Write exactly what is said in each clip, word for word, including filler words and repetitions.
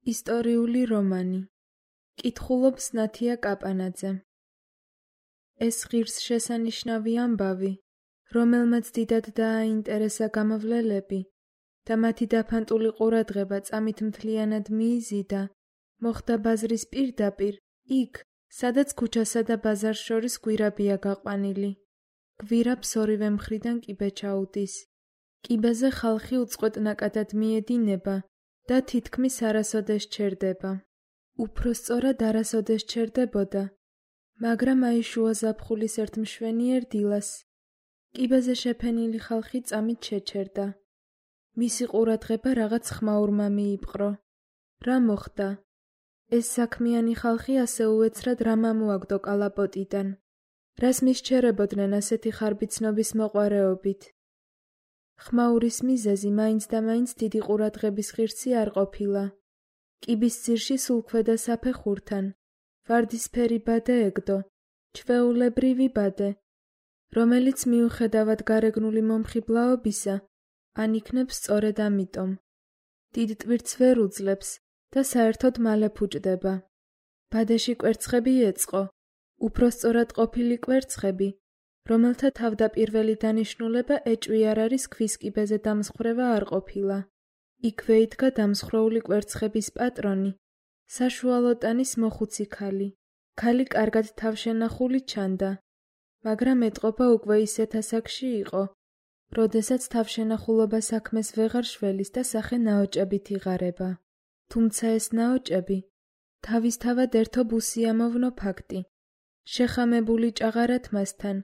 ისტორიული რომანი. კითხულობს ნათია კაპანაძე. ეს ღირსშესანიშნავი ამბავი, რომელმაც დიდად დააინტერესა გამოვლელები და მათი დაფანტული ყურადღება წამით მთლიანად მიიზიდა, მოხდა ბაზრის პირდაპირ, იქ, სადაც ქუჩასა და ბაზარს შორის გვირაბია გაყვანილი. გვირაბს ორივე მხრიდან კიბე ჩაუდის. კიბეზე ხალხი უწყვეტ ნაკადად მიედინება და თითქმის არასოდეს ჩერდება. უფრო სწორად არასოდეს ჩერდებოდა, მაგრამ აი შუა ზაფხულის ერთ მშვენიერ დილას კიბეზე შეფენილი ხალხი წამით შეჩერდა. მისი ყურადღება რაღაც ხმაურმა მიიპყრო. რა მოხდა? ეს საქმიანი ხალხი ასე უეცრად რა მამოაგდო კალაპოტიდან? რას მისჩერებოდნენ ასეთი ხარბიცნობის მოყვარეობით? ხმაურის მიზეზი მაინც და მაინც დიდი ყურადღების ღირსი არ ყოფილა. კიბის ძირში სულ ქვედა საფეხურთან ვარდისფერი ბადე ეგდო, ჩვეულებრივი ბადე, რომელიც მიუხედავად გარეგნული მომხიბლაობისა, ან იქნებს სწორედ ამიტომ. დიდ ტვირთს ვერ უძლებს და საერთოდ მალე ფუჭდება. ბადეში კვერცხები ეწყო, უფრო სწორად ყოფილი კვერცხები, რომელთა თავდაპირველი დანიშნულება ეჭვი არ არის ქვის კიბეზე დამსხვრევა არ ყოფილა. იქვე იდგა დამსხვრეული კვერცხების პატრონი, საშუალო ტანის მოხუცი ქალი. ქალი კარგად თავშენახული ჩანდა, მაგრამ ეტყობა უკვე ისეთ ასაკში იყო, როდესაც თავშენახულობა საქმეს ვეღარ შველის და სახე ნაოჭებით იღარება. თუმცა ეს ნაოჭები თავისთავად ერთობ უსიამოვნო ფაქტი, შეხამებული ჭაღარათ მასთან,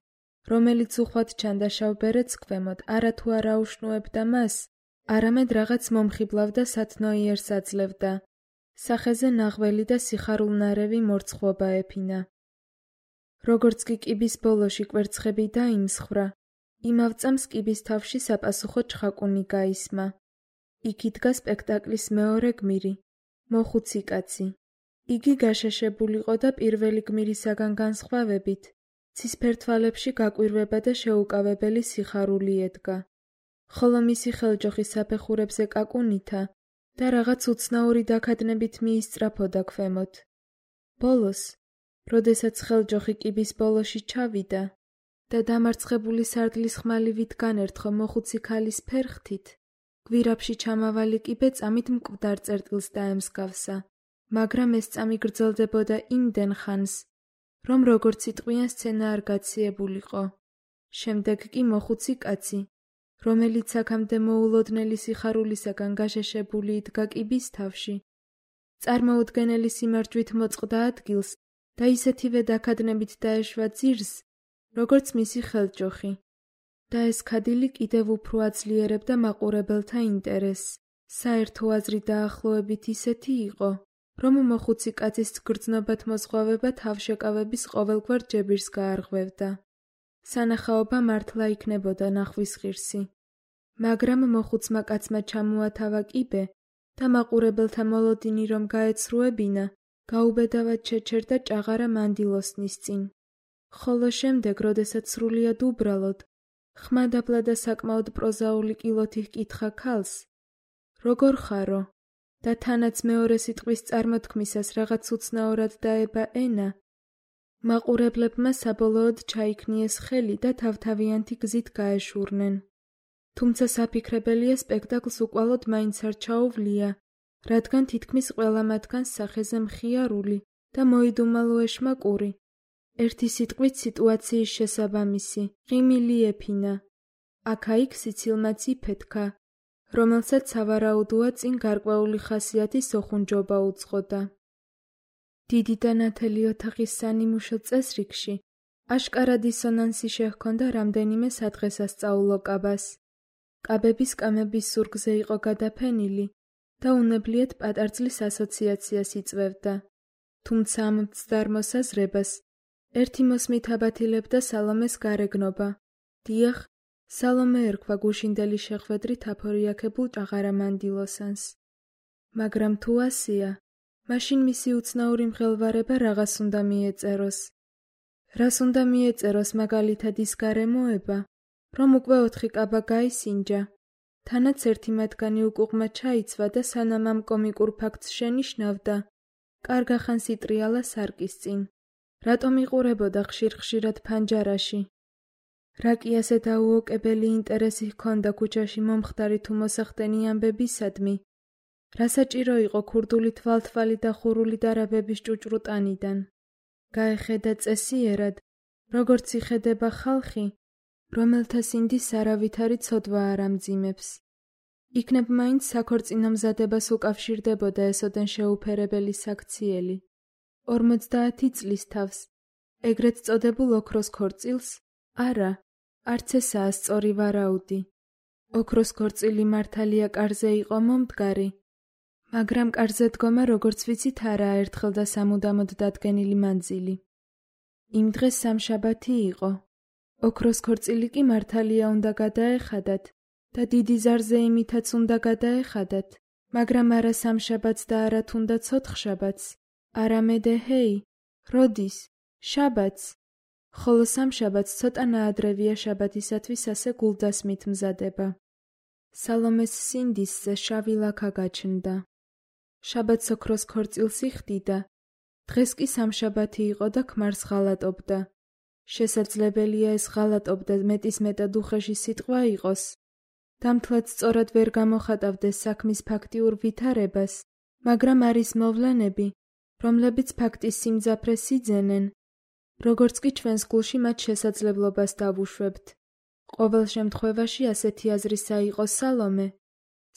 რომელიც უხვად ჩანდა შავ ბერეთს ქვემოთ, არათუ არ აუშნუებდა მას, არამედ რაღაც მომხიბლავ და სათნოიერს აძლევდა. სახეზე ნაღველი და სიხარულნარევი მორცხვობა ეფინა. როგორც კი კიბის ბოლოში კვერცხები დაიმსხვრა, იმავ წამს კიბის თავში საპასუხო ჩხაკუნი გაისმა. იქ იდგა სპექტაკლის მეორე გმირი, მოხუცი კაცი. იგი გაშეშებულიყო და პირველი გმირისაგან განსხვავებით, ცისფერ თვალებში გაკვირვება და შეუკავებელი სიხარული ედგა. ხოლო მისი ხელჯოხი საფეხურებზე კაკუნითა და რაღაც უცნაური დაქადნებით მიისწრაფოდა ქვემოთ. ბოლოს, როდესაც ხელჯოხი კიბის ბოლოში ჩავიდა და დამარცხებული სარდლის ხმალივით განერთხო მოხუცი ქალის ფერხთით, გვირაბში ჩამავალი კიბე წამით მკვდარ წერტილს დაემსგავსა, მაგრამ ეს წამი გრძელდებოდა იმდენ ხანს, რომ როგორც იტყვიან სცენა არ გაციებულიყო. შემდეგ კი მოხუცი კაცი, რომელიც აქამდე მოულოდნელი სიხარულისაგან გაშეშებული იდგა კიბის თავში, წარმოუდგენელი სიმარჯვით მოწყდა ადგილს და ისეთივე დაქადნებით დაეშვა ძირს, როგორც მისი ხელჯოხი. და ეს ქადილი კიდევ უფრო აძლიერებდა მაყურებელთა ინტერესს. საერთო აზრი დაახლოებით ისეთი იყო, რომ მოხუცი კაცის გრძნობად მოზღვავება თავშეკავების ყოველგვარ ჯებირს გაარღვევდა. სანახაობა მართლა იქნებოდა ნახვის ღირსი. მაგრამ მოხუცმა კაცმა ჩამოათავა კიბე და მაყურებელთა მოლოდინი რომ გაეცრუებინა, გაუბედავად შეჩერდა ჭაღარა მანდილოსნის წინ. ხოლო შემდეგ, როდესაც სრულიად უბრალოდ, ხმადაბლა და საკმაოდ პროზაული კილოთი ჰკითხა ქალს, როგორ ხარო? და თანაც მეორე სიტყვის წარმოთქმისას რაღაც უცნაურად დაება ენა, მაყურებლებმა საბოლოოდ ჩაიქნიეს ხელი და თავთავიანთი გზით გაეშურნენ. თუმცა საფიქრებელია სპექტაკლს უკვალოდ მაინც არ ჩაუვლია, რადგან თითქმის ყველა მათგანს სახეზე მხიარული და მოიდუმალო ეშმაკური, ერთი სიტყვით სიტუაციის შესაბამისი, ღიმილი ეფინა. აქა-იქ სიცილმაც იფეთქა, რომელსაც სავარაუდოა წინ გარკვეული ხასიათის ოხუნჯობა უძღოდა. დიდი და ნათელი ოთახის სანიმუშო წესრიგში აშკარა დისონანსი შეჰქონდა რამდენიმე სადღესასწაულო კაბას. კაბების კამების ზურგზე იყო გადაფენილი და უნებლიეთ პატარძლის ასოციაციას იწვევდა. თუმცა ამ მცდარ მოსაზრებას ერთი მოსმით აბათილებდა სალომეს გარეგნობა. დიახ, სალომე ერქვა გუშინდელი შეხვედრით აფორიაქებულ ჭაღარა მანდილოსანს. მაგრამ თუ ასია, მაშინ მისი უცნაური მღელვარება რაღაც უნდა მიეწეროს. რას უნდა მიეწეროს მაგალითად ის გარემოება, რომ უკვე ოთხი კაბა გაისინჯა თანაც ერთი მათგანი უკუღმა ჩაიცვა და სანამ ამ კომიკურ ფაქტს შენიშნავდა, კარგა ხანს იტრიალა სარკის წინ. რატომ იყურებოდა ხშირ-ხშირად ფანჯარაში? რა კი ასე დაუოკებელი ინტერესი ჰქონდა ქუჩაში მომხდარი თუ მოსახდენი ამბებისადმი? რა საჭირო იყო ქურდული თვალთვალი და ხურული დარაბების ჭუჭრუ ტანიდან? გაეხედა წესიერად, როგორც იხედება ხალხი, რომელთა სინდის არავითარი ცოდვა არ ამძიმებს. იქნებ მაინც საქორწინო მზადებას უკავშირდებოდა ესოდენ შეუფერებელი საქციელი. ორმოცდაათი წლის თავს, ეგრეთ წოდებულ ოქროს ქორწილს? არა, არც ესაა სწორი ვარაუდი. ოქროს ქორწილი მართალია კარზე იყო მომდგარი, მაგრამ კარზე დგომა როგორც ვიცით არაა ერთხელ და სამუდამოდ დადგენილი მანძილი. იმ დღეს სამშაბათი იყო. ოქროს ქორწილი კი მართალია უნდა გადაეხადათ და დიდი ზარზე იმითაც უნდა გადაეხადათ, მაგრამ არა სამშაბათს და არა თუნდაც ოთხშაბათს, არამედ ეჰეი, როდის? შაბათს. ხოლო სამშაბათს ცოტა ნაადრევია შაბათისათვის ასე გულდასმით მზადება. სალომეს სინდისზე შავი ლაქა გაჩნდა. შაბათს ოქროს ქორწილს იხდიდა, დღეს კი სამშაბათი იყო და ქმარს ღალატობდა. შესაძლებელია ეს ღალატობდა მეტისმეტად უხეში სიტყვა იყოს. დამთლად სწორად ვერ გამოხატავდეს საქმის ფაქტიურ ვითარებას, მაგრამ არის მოვლენები, რომლებიც ფაქტის სიმძაფრეს იძენენ, როგორც კი ჩვენს გულში მათ შესაძლებლობას დავუშვებთ. ყოველ შემთხვევაში ასეთი აზრისა იყო სალომე,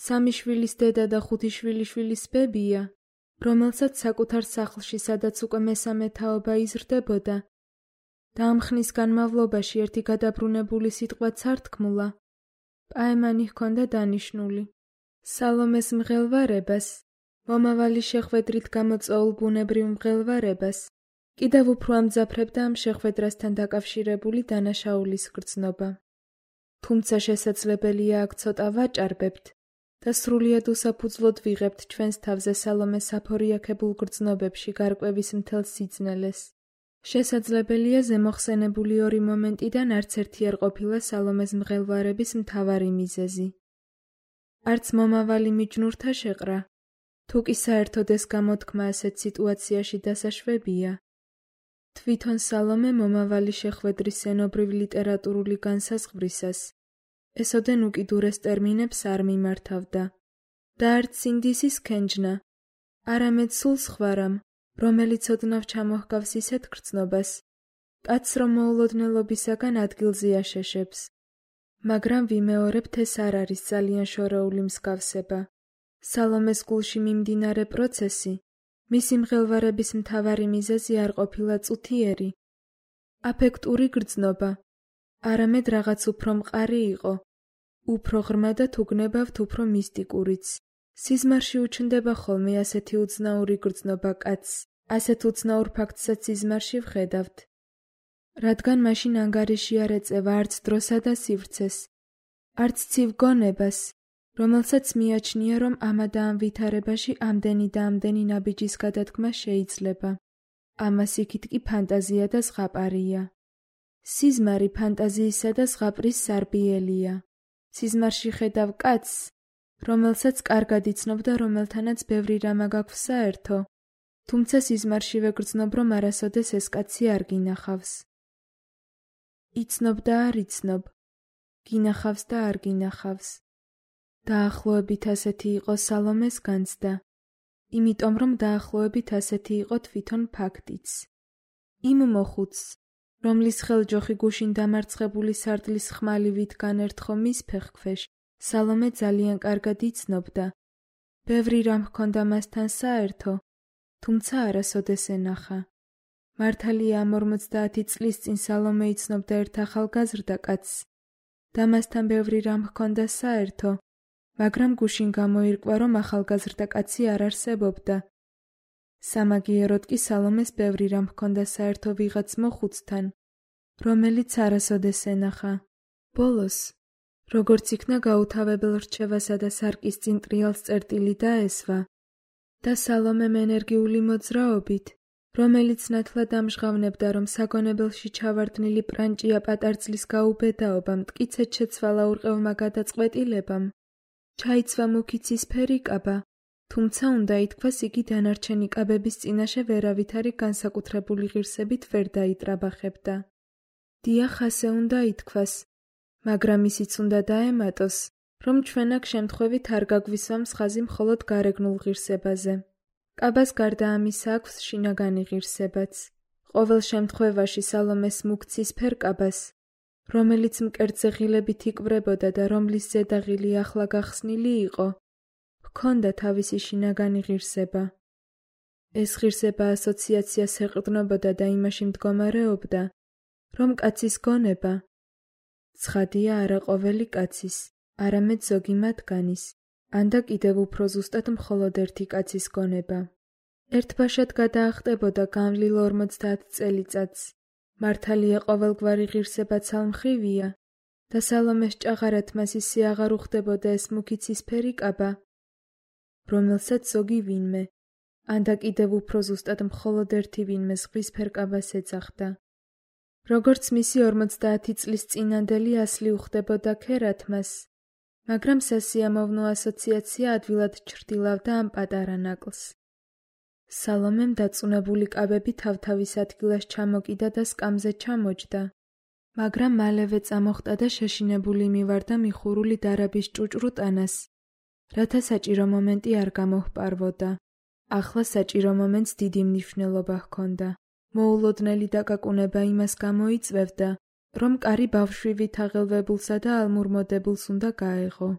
სამი შვილის დედა და ხუთი შვილიშვილის ბებია, რომელსაც საკუთარ სახლში, სადაც უკვე მესამე თაობა იზრდებოდა და ამ ხნის განმავლობაში ერთი გადაბრუნებული სიტყვაც არ თქმულა, პაემანი ჰქონდა დანიშნული. სალომეს მღელვარებას, მომავალი შეხვედრით გამოწვეულ ბუნებრივ მღელვარებას, კიდევ უფრო ამძაფრებდა ამ შეხვედრასთან დაკავშირებული დანაშაულის გრძნობა. თუმცა შესაძლებელია აქ ცოტა ვაჭარბებთ და სრულიად უსაფუძვლოდ ვიღებთ ჩვენს თავზე სალომეს აფორიაქებულ გრძნობებში გარკვევის მთელ სიძნელეს. შესაძლებელია ზემოხსენებული ორი მომენტიდან არც ერთი არ ყოფილა სალომეს მღელვარების მთავარი მიზეზი. არც მომავალი მიჯნურთა შეყრა, თუ კი საერთოდ ეს გამოთქმა ასეთ სიტუაციაში დასაშვებია. თვითონ სალომე მომავალი შეხვედრის ენობრივ ლიტერატურული განსაზღვრისას ესოდენ უკიდურეს ტერმინებს არ მიმართავდა და არც სინდისის ქენჯნა, არამედ სულ სხვა რამ, რომელიც ოდნავ ჩამოჰგავს ისეთ გრძნობას, კაცს რომ მოულოდნელობისაგან ადგილზე აშეშებს. მაგრამ ვიმეორებთ, ეს არ არის ძალიან შორეული მსგავსება. სალომეს გულში მიმდინარე პროცესი, მისი მღელვარების მთავარი მიზეზი არ ყოფილა წუთიერი, აფექტური გრძნობა, არამედ რაღაც უფრო მყარი იყო, უფრო ღრმა და თუგნებავთ უფრო მისტიკურიც. სიზმარში უჩნდება ხოლმე ასეთი უცნაური გრძნობა კაცს, ასეთ უცნაურ ფაქტსაც სიზმარში ვხედავთ. რადგან მაშინ ანგარიში არ ეწევა არც დროსა და სივრცეს, არც ცივ გონებას, რომელსაც მიაჩნია, რომ ამა და ამ ვითარებაში ამდენი და ამდენი ნაბიჯის გადადგმა შეიძლება. ამას იქით კი ფანტაზია და ზღაპარია. სიზმარი ფანტაზიისა და ზღაპრის სარბიელია. სიზმარში ხედავ კაცს, რომელსაც კარგად იცნობ და რომელთანაც ბევრი რამ გაქვს საერთო, თუმცა სიზმარშივე გრძნობ, რომ არასოდეს ეს კაცი არ გინახავს. იცნობ და არ იცნობ, გინახავს და არ გინახავს. დაახლოებით ასეთი იყო სალომეს განცდა, იმიტომ რომ დაახლოებით ასეთი იყო თვითონ ფაქტიც. იმ მოხუცს, რომლის ხელჯოხი გუშინ დამარცხებული სარდლის ხმალივით განერთხო მის ფეხქვეშ, სალომე ძალიან კარგად იცნობდა. ბევრი რამ ჰქონდა მასთან საერთო, თუმცა არასოდეს ენახა. მართალია ამ ორმოცდაათი წლის წინ სალომე იცნობდა ერთ ახალგაზრდა კაცს და მასთან ბევრი რამ ჰქონდა საერთო, მაგრამ გუშინ გამოირკვა, რომ ახალგაზრდა კაცი არ არსებობდა. სამაგიეროდ კი სალომეს ბევრი რამ ჰქონდა საერთო ვიღაც მოხუცთან, რომელიც არასოდეს ენახა. ბოლოს, როგორც იქნა გაუთავებელ რჩევასა და სარკის წინ ტრიალს წერტილი დაესვა და სალომემ ენერგიული მოძრაობით, რომელიც ნათლად ამჟღავნებდა, რომ საგონებელში ჩავარდნილი პრანჭია პატარძლის გაუბედაობამ, მტკიცედ შეცვალა ურყევმა გადაწყვეტილებამ, ჩაიცვა მუქი ცისფერი კაბა, თუმცა უნდა ითქვას იგი დანარჩენი კაბების წინაშე ვერავითარი განსაკუთრებული ღირსებით ვერ დაიტრაბახებდა. დიახ, ასე უნდა ითქვას, მაგრამ ისიც უნდა დაემატოს, რომ ჩვენ აქ შემთხვევით არ გაგვისვამს ხაზი მხოლოდ გარეგნულ ღირსებაზე. კაბას გარდა ამისა აქვს შინაგანი ღირსებაც. ყოველ შემთხვევაში სალომეს მუქ ცისფერ კაბას, რომელიც მკერდზე ღილებით იკვრებოდა და რომლის ზედაღილი ახლა გახსნილი იყო, ჰქონდა თავისი შინაგანი ღირსება. ეს ღირსება ასოციაციას ეყრდნობოდა და იმაში მდგომარეობდა, რომ კაცის გონება, ცხადია არა ყოველი კაცის, არამედ ზოგი მათგანის, ან და კიდევ უფრო ზუსტად მხოლოდ ერთი კაცის გონება. ერთბაშად გადაახტებოდა განვლილ ორმოცდაათ წელიწადს. მართალია ყოველგვარი ღირსება ცალმხრივია და სალომეს ჭაღარად მას ისე აღარ უხდებოდა ეს მუქი ცისფერი კაბა, რომელსაც ზოგი ვინმე, ან და კიდევ უფრო ზუსტად მხოლოდ ერთი ვინმე ზღვისფერ კაბას ეძახდა. როგორც მისი ორმოცდაათი წლის წინანდელი ასლი უხდებოდა ქერათმას, მაგრამ სასიამოვნო ასოციაცია ადვილად ჩრდილავდა ამ პატარა ნაკლს. სალომემ დაწუნებული კაბები თავთავის ადგილას ჩამოკიდა და სკამზე ჩამოჯდა, მაგრამ მალევე წამოხტა და შეშინებული მივარდა მიხურული დარაბის ჭუჭრუ ტანას, რათა საჭირო მომენტი არ გამოჰპარვოდა. ახლა საჭირო მომენტს დიდი მნიშვნელობა ჰქონდა. მოულოდნელი დაკაკუნება იმას გამოიწვევდა, რომ კარი ბავშვივით აღელვებულსა და ალმურმოდებულს უნდა გაეღო.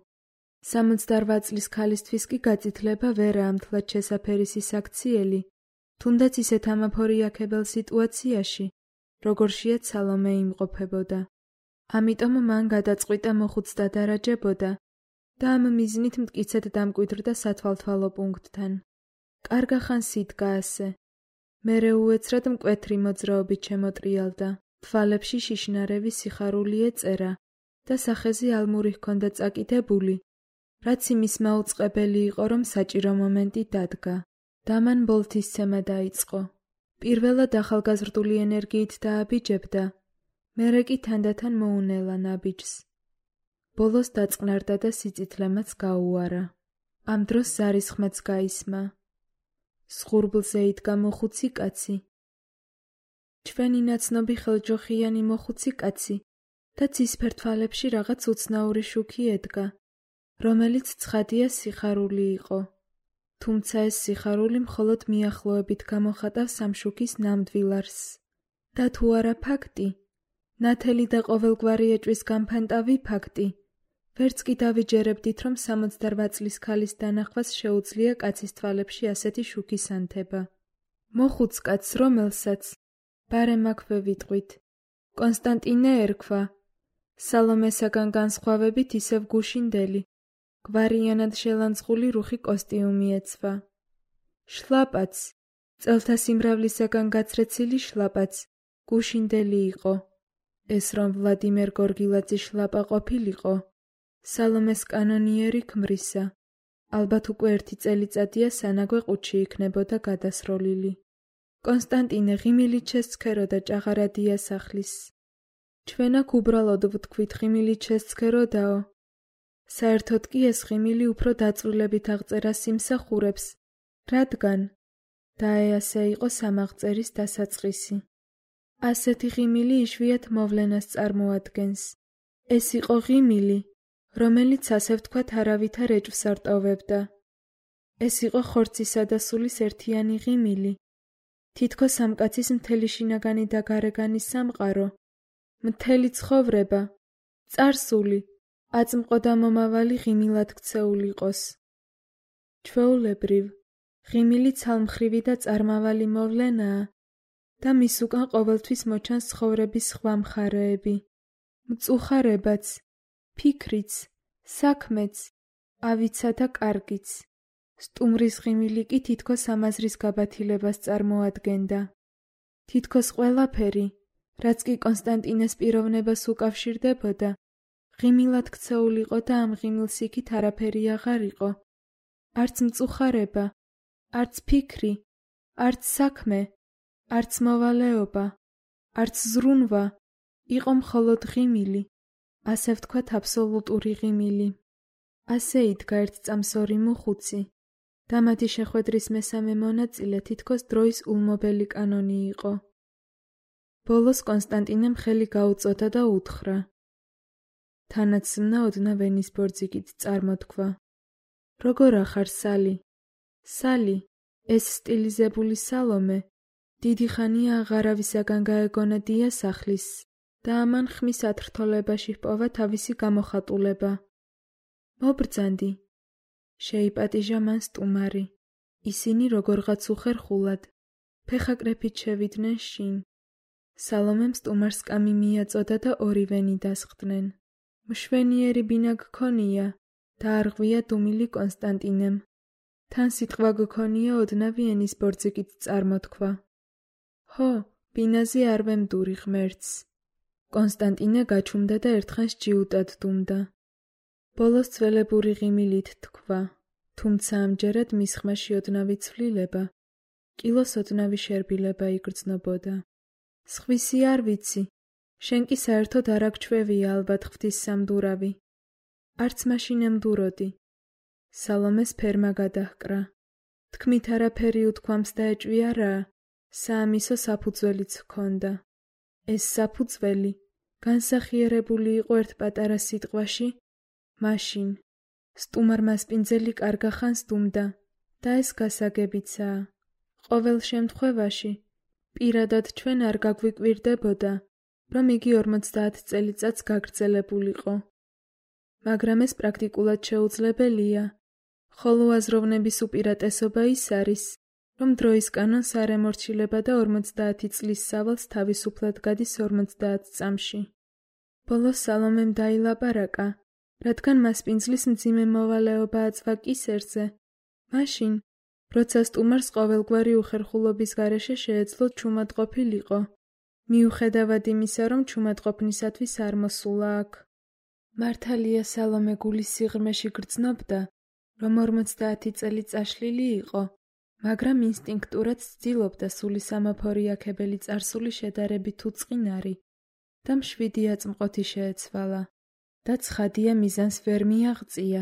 სამოცდარვა წლის ქალისთვის კი გაწითლება ვერა ამდღლად შესაფერისი საქციელი, თუნდაც ისეთ ამაფორიაქებელ სიტუაციაში, როგორშიაც სალომე იმყოფებოდა. ამიტომ მან გადაწყვიტა მოხუც დადარაჯებოდა და ამ მიზნით მტკიცედ დამკვიდრდა სათვალთვალო პუნქტთან. კარგა ხანს იდგა ასე. მერე უეცრად მკვეთრი მოძრაობით შემოტრიალდა, თვალებში შიშნარევი სიხარული ეწერა და სახეზე ალმური ჰქონდა წაკიდებული, რაც იმის მაუწყებელი იყო, რომ საჭირო მომენტი დადგა. და მან ბოლთისცემა დაიწყო. პირველად ახალგაზრდული ენერგიით დააბიჯებდა, მერე კი თანდათან მოუნელა ნაბიჯს. ბოლოს დაწყნარდა და სიწითლემაც გაუარა. ამ დროს ზარის ხმაც გაისმა. სხურბლზე იდგა მოხუცი კაცი. ჩვენი ნაცნობი ხელჯოხიანი მოხუცი კაცი და ცისფერ თვალებში რაღაც უცნაური შუქი ედგა, რომელიც ცხადია სიხარული იყო. თუმცა ეს სიხარული მხოლოდ მიახლოებით გამოხატავს ამ შუქის ნამდვილ არსს. და თუ არა ფაქტი, ნათელი და ყოველგვარი ეჭვის გამფანტავი ფაქტი, ვერც კი დავიჯერებდით, რომ სამოცდარვა წლის ქალის დანახვას შეუძლია კაცის თვალებში ასეთი შუქის ანთება. მოხუც კაცს, რომელსაც ბარემ აქვე ვიტყვით, კონსტანტინე ერქვა, სალომესაგან განსხვავებით ისევ გუშინდელი, გვარიანად შელანძღული რუხი კოსტიუმი ეცვა. შლაპაც, წელთა სიმრავლისაგან გაცრეცილი შლაპაც, გუშინდელი იყო. ეს რომ ვლადიმერ გორგილაძის შლაპა ყოფილიყო, სალომეს კანონიერი ქმრისა, ალბათ უკვე ერთი წელიწადია სანაგვე ყუთში იქნებოდა გადასროლილი. კონსტანტინე ღიმილით შესცქერო და ჭაღარადია სახლის. ჩვენ აქ უბრალოდ ვთქვით ღიმილით შესცქეროდაო. საერთოდ კი ეს ღიმილი უფრო დაწვრილებით აღწერა სიმსახურებს, რადგან დაეასე იყო სამაღწერის დასაწყისი. ასეთი ღიმილი იშვიათ მოვლენას წარმოადგენს. ეს იყო ღიმილი, რომელიც ასე ვთქვათ არავითარ ეჭვს არ ტოვებდა. ეს იყო ხორცისა და სულის ერთიანი ღიმილი. თითქოს ამ კაცის მთელი შინაგანი და გარეგანი სამყარო, მთელი ცხოვრება, წარსული, აწმყო და მომავალი ღიმილად ქცეულ იყოს. ჩვეულებრივ, ღიმილი ცალმხრივი და წარმავალი მოვლენაა და მის უკან ყოველთვის მოჩანს ცხოვრების სხვა მხარეები, მწუხარებაც, ფიქრიც, საქმეც, ავიცა და კარგიც. სტუმრის ღიმილი კი თითქოს ამაზრის გაბათილებას წარმოადგენდა. თითქოს ყველაფერი, რაც კი კონსტანტინეს პიროვნებას უკავშირდებოდა, ღიმილად ქცეულ იყო და ამ ღიმილს იქით არაფერი აღარ იყო. არც მწუხარება, არც ფიქრი, არც საქმე, არც მოვალეობა, არც ზრუნვა, იყო მხოლოდ ღიმილი, ასე ვთქვათ აბსოლუტური ღიმილი. ასე იდგა ერთ წამს ორი მუხუცი და მათი შეხვედრის მესამე მონაწილე თითქოს დროის ულმობელი კანონი იყო. ბოლოს კონსტანტინემ ხელი გაუწოდა და უთხრა. თანაც ზმნა ოდნავ ენის ბორძიგით წარმოთქვა. როგორ ახარ, სალი? სალი, ეს სტილიზებული სალომე, დიდი ხანია აღარავისაგან გაეგონა დიას ახლის და ამან ხმის ათრთოლებაში ჰპოვა თავისი გამოხატულება. მობრძანდი, შეიპატიჟა მან სტუმარი. ისინი როგორღაც უხერხულად, ფეხაკრეფით შევიდნენ შინ. სალომემ სტუმარს კამი მიაწოდა და ორივენი დასხდნენ. მშვენიერი ბინა გქონია და არღვია დუმილი კონსტანტინემ. თან სიტყვა გქონია ოდნავი ენის ბორძიგით წარმოთქვა. ჰო, ბინაზე არ ვემდური ღმერთს. კონსტანტინე გაჩუმდა და ერთხანს ჯიუტად დუმდა. ბოლოს ძველებური ღიმილით თქვა, თუმცა ამჯერად მის ხმაში ოდნავი ცვლილება, კილოს ოდნავი შერბილება იგრძნობოდა. სხვისი არ ვიცი, შენ კი საერთოდ არ აგჩვევია ალბათ ღვთის სამდურავი. არც მაშინ ემდუროდი. სალომეს ფერმა გადაჰკრა. თქმით არაფერი უთქვამს და ეჭვია რა, საამისო საფუძველიც ჰქონდა. ეს საფუძველი განსახიერებული იყო ერთ პატარა სიტყვაში, მაშინ. სტუმარმა სპინძელი კარგა ხანს დუმდა და ეს გასაგებიცაა. ყოველ შემთხვევაში, პირადად ჩვენ არ გაგვიკვირდებოდა, რომ იგი ორმოცდაათ წელიწადს გაგრძელებულიყო. მაგრამ ეს პრაქტიკულად შეუძლებელია, ხოლო აზროვნების უპირატესობა ის არის, რომ დროის კანონს არ ემორჩილება და ორმოცდაათი წლის სავალს თავისუფლად გადის ორმოცდაათ წამში. ბოლოს სალომემ დაილაპარაკა, რადგან მას პინძლის მძიმე მოვალეობა აწვა კისერზე, მაშინ, როცა სტუმარს ყოველგვარი უხერხულობის გარეშე შეეძლო ჩუმად ყოფილიყო, მიუხედავად იმისა, რომ ჩუმადყოფნისათვის არ მოსულა აქ. მართალია სალომე გულის სიღრმეში გრძნობდა, რომ ორმოცდაათი წელი წაშლილი იყო, მაგრამ ინსტინქტურად ცდილობდა სული სამაფორიაქებელი წარსული შედარებით უწყინარი და მშვიდი აწმყოთი შეეცვალა. და ცხადია მიზანს ვერ მიაღწია,